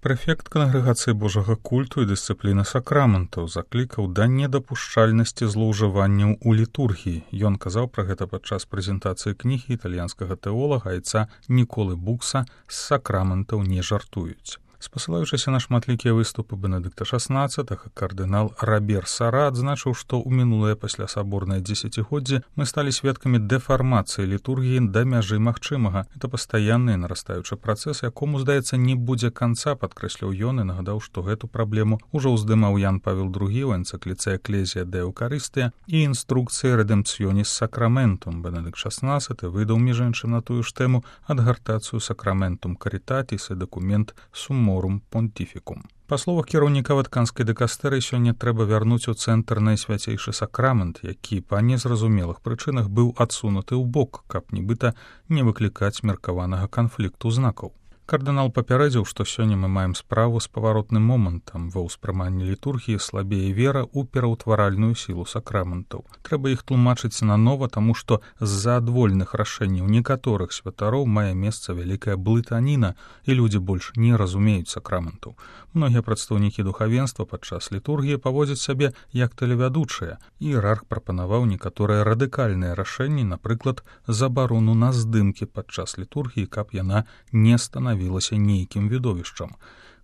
Прэфект кангрэгацыі Божага культу і дысцыпліны сакраментаў заклікаў да недапушчальнасці злоўжыванняў у літургіі. Ён казаў пра гэта падчас прэзентацыі кнігі італьянскага тэолага айца Ніколы Букса «З сакраментаў не жартуюць». Спасылаючыся на шматлікія выступы Бенедыкта XVI, кардынал Робер Сара адзначыў, што ў мінулае паслясаборнае дзесяцігоддзе мы сталі сведкамі дэфармацыі літургіі да мяжы магчымага. Это пастаянны і нарастаючы працэс, якому, здаецца, не будзе канца, падкрэсліў ён і нагадаў, што гэту праблему ўжо ўздымаў Ян Павел II ў энцыкліцы «Экклезія де Эўкарыстыя» і інструкцыі «Редемпціоніс сакраментум». Бенедыкт XVI выдаў, між іншым, на тую ж тэму адгартацыю «Сакраментум карітатіс» і дакумент «Сумморум понтифікум». Па словах кіраўніка ватканскай дыкастэрыі, сёння трэба вярнуць у цэнтр найсвяцейшы сакрамент, які па незразумелых прычынах быў адсунуты ў бок, каб нібыта не выклікаць меркаванага канфлікту знакаў. Кардынал папярэдзіў, што сёння мы маем справу з паваротным момантам. Ва ўспрыманні літургіі слабее вера ў пераўтваральную сілу сакраментаў. Трэба іх тлумачыць нанова, таму што з-за адвольных рашэнняў некаторых святароў мае месца вялікая блытаніна, і людзі больш не разумеюць сакраментаў. Многія прадстаўнікі духавенства падчас літургіі паводзяць сябе як тэлевядучыя. Іерарх прапанаваў некаторыя радыкальныя рашэнні, напрыклад, забарону на здымкі падчас літургіі, каб яна не станавілася нейкім відовішчам.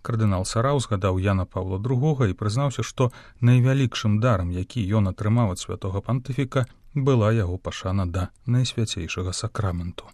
Кардынал Сара ўзгадаў Яна Паўла II і прызнаўся, што найвялікшым дарам, які ён атрымаў ад святога пантыфіка, была яго пашана да найсвяцейшага сакраменту.